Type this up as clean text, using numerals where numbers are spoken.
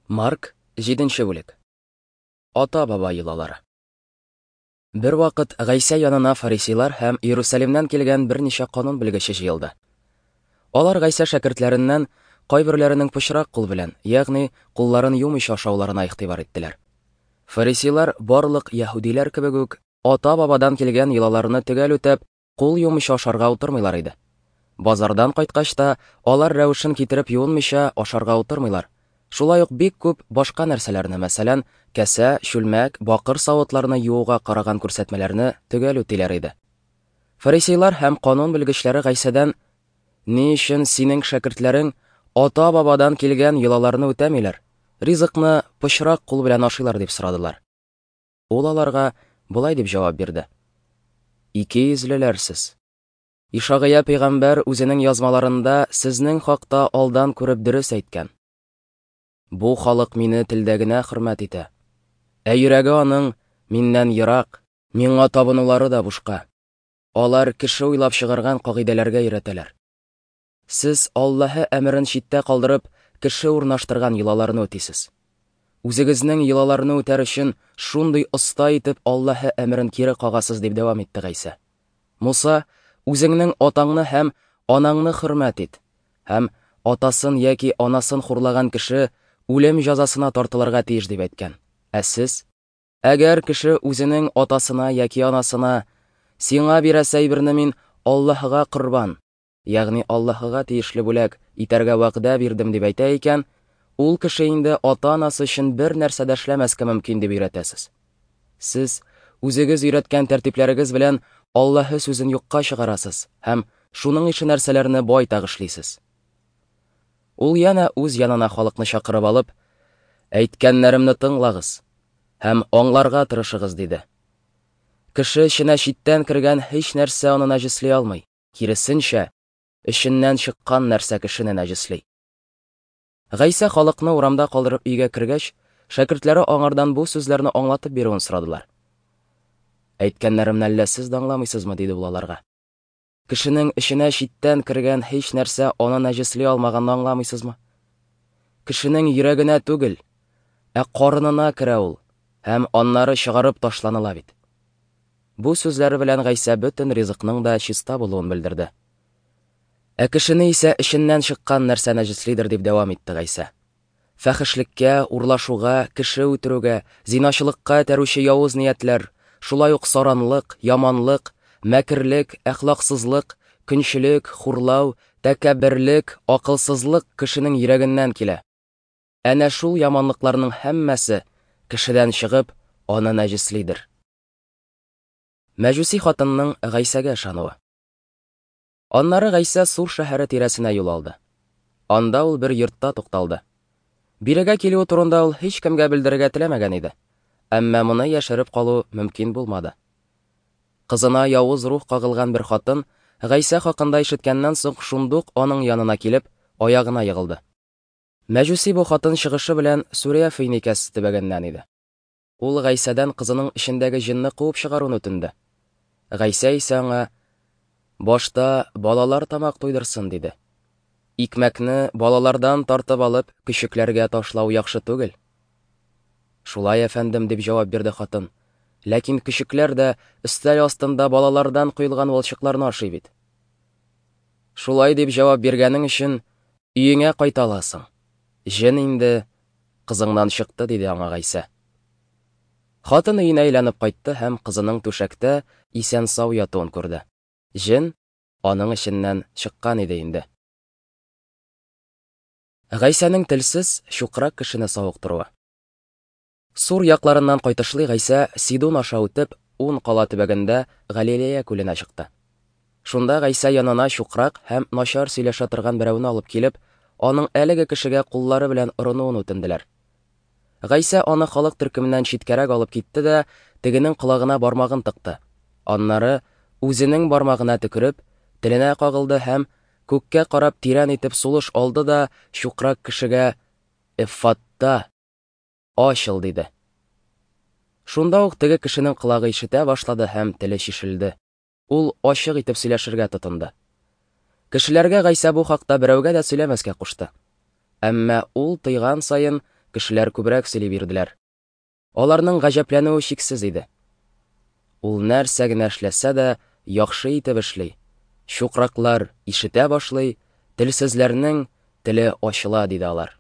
Марк, 7 бүлек. Ата-баба йолалары. Бервакыт Гайсә янына фарисейлар һәм Иерусалимнән килгән берничә канун белгече җыелды. Алар Гайсә шәкертләреннән кайберләренең пычрак кул белән, ягъни кулларын юмыйча ашауларына игътибар иттеләр. Фарисейлар барлык яһүдиләр кебек үк ата-бабадан килгән йолаларны төгәл үтәп, кул юмыйча ашарга утырмыйлар иде. Базардан кайткач та, алар рәвешен китереп юынмыйча ашарга утырмыйлар. Шулай ук бик күп башка нәрсәләрне, мәсәлән, кәсә, чүлмәк, бакыр савытларны юуга караган күрсәтмәләрне төгәл үтиләр иде. Фарисейлар һәм канун белгечләре Гайсәдән: "Ни өчен синең шәкертләрең ата-бабадан килгән йолаларны үтәмиләр, ризыкны пычрак кул белән ашыйлар?" дип сорадылар. Ул аларга болай дип җавап бирде: Икейөзлеләр сез! Ишагыя пәйгамбәр үзенең язмаларында сезнең хакта алдан күреп дөрес әйткән. Бу халык мине телдә генә хөрмәт итә, ә йөрәге аның миннән ерак, миңа табынулары да бушка. Алар кеше уйлап чыгарган кагыйдәләргә өйрәтәләр. Сез Аллаһы әмерен читтә калдырып, кеше урнаштырган йолаларны үтисез. Үзегезнең йолаларны үтәр өчен шундый оста итеп Аллаһы әмерен кире кагасыз, дип дәвам итте Гайсә. Муса, үзеңнең атаңны һәм анаңны хөрмәт ит, һәм атасын яки анасын хурлаган кеше үлем җәзасына тартылырга тиеш, дип әйткән. Ә сез? Әгәр кеше үзенең атасына яки анасына, Сиңа бирәсе әйберне мин Аллаһыга корбан, ягъни Аллаһыга тиешле бүләк, итәргә вәгъдә бирдем дип әйтә икән, ул кеше инде ата-анасы өчен бер нәрсә дә эшләмәскә мөмкин дип өйрәтәсез. Сез үзегез өйрәткән тәртипләрегез белән Аллаһы сүзен юкка чыгарасыз һәм шуның ише нәрсәләрне байтак эшлисез. Ул янә үз янына халыкны чакырып алып, Әйткәннәремне тыңлагыз һәм аңларга тырышыгыз, диде. Кеше эченә читтән кергән һич нәрсә аны нәҗесли алмый. Киресенчә, эченнән чыккан нәрсә кешене нәҗесли. Гайсә халыкны урамда калдырып өйгә кергәч, шәкертләре аңардан бу сүзләрне аңлатып бирүен сорадылар. Әйткәннәремне әллә сез дә аңламыйсызмы? диде ул аларга. Кешенең эченә читтән кергән һич нәрсә аны нәҗесли алмаганны аңламыйсызмы? Кешенең йөрәгенә түгел, ә карынына керә ул һәм аннары чыгарып ташланыла бит. Бу сүзләре белән Гайсә бөтен ризыкның да чиста булуын белдерде. Ә кешене исә эченнән чыккан нәрсә нәҗеслидер, дип дәвам итте Гайсә. Фәхешлеккә, урлашуга, кеше үтерүгә, зиначылыкка этәрүче явыз ниятләр, шулай ук саранлык, яманлык, мәкерлек, әхлаксызлык, көнчелек, хурлау, тәкәбберлек, акылсызлык кешенең йөрәгеннән килә. Әнә шул яманлыкларның һәммәсе, кешедән чыгып, аны нәҗеслидер. Мәҗүси хатынның Гайсәгә ышануы. Аннары Гайсә Сур шәһәре тирәсенә юл алды. Анда ул бер йортта тукталды. Бирегә килүе турында ул һичкемгә белдерергә теләмәгән иде. Әмма моны яшереп калу мөмкин булмады. Кызына явыз рух кагылган бер хатын Гайсә хакында ишеткәннән соң шундук аның янына килеп, аягына егылды. Мәҗүси бу хатын чыгышы белән Сүрия Финикәсе төбәгеннән иде. Ул Гайсәдән кызының эчендәге җенне куып чыгаруны үтенде. Гайсә исә аңа, Башта балалар тамак туйдырсын, диде. Икмәкне балалардан тартып алып, көчекләргә ташлау яхшы түгел. Шулай, әфәндем, дип җавап бирде хатын. Ләкин көчекләр дә өстәл астында балалардан коелган валчыкларны ашый бит. Шулай дип җавап биргәнең өчен өеңә кайта аласың. Җен инде кызыңнан чыкты, диде аңа Гайсә. Хатын өенә әйләнеп кайтты һәм кызының түшәктә исән-сау ятуын күрде. Җен аның эченнән чыккан иде инде. Гайсәнең телсез, чукрак кешене савыктыруы. Сур якларыннан кайтышлый Гайсә Сидун аша үтеп, Ун кала төбәгендә Галилея күленә чыкты. Шунда Гайсә янына чукрак һәм начар сөйләшә торган берәүне алып килеп, аның әлеге кешегә куллары белән орынуын үтенделәр. Гайсә аны халык төркеменнән читкәрәк алып китте дә, тегенең колагына бармагын тыкты. Аннары, үзенең бармагына төкереп, теленә кагылды һәм, күккә карап тирән итеп сулыш алды да, чукрак кешегә, Эффатта! Ачыл! диде. Шунда ук теге кешенең колагы ишетә башлады һәм теле чишелде. Ул ачык итеп сөйләшергә тотынды. Кешеләргә Гайсә бу хакта берәүгә дә сөйләмәскә кушты. Әмма ул тыйган саен, кешеләр күбрәк сөйли бирделәр. Аларның гаҗәпләнүе чиксез иде. Ул нәрсә генә эшләсә дә, яхшы итеп эшли. Чукраклар ишетә башлый, телсезләрнең теле ачыла, диде алар.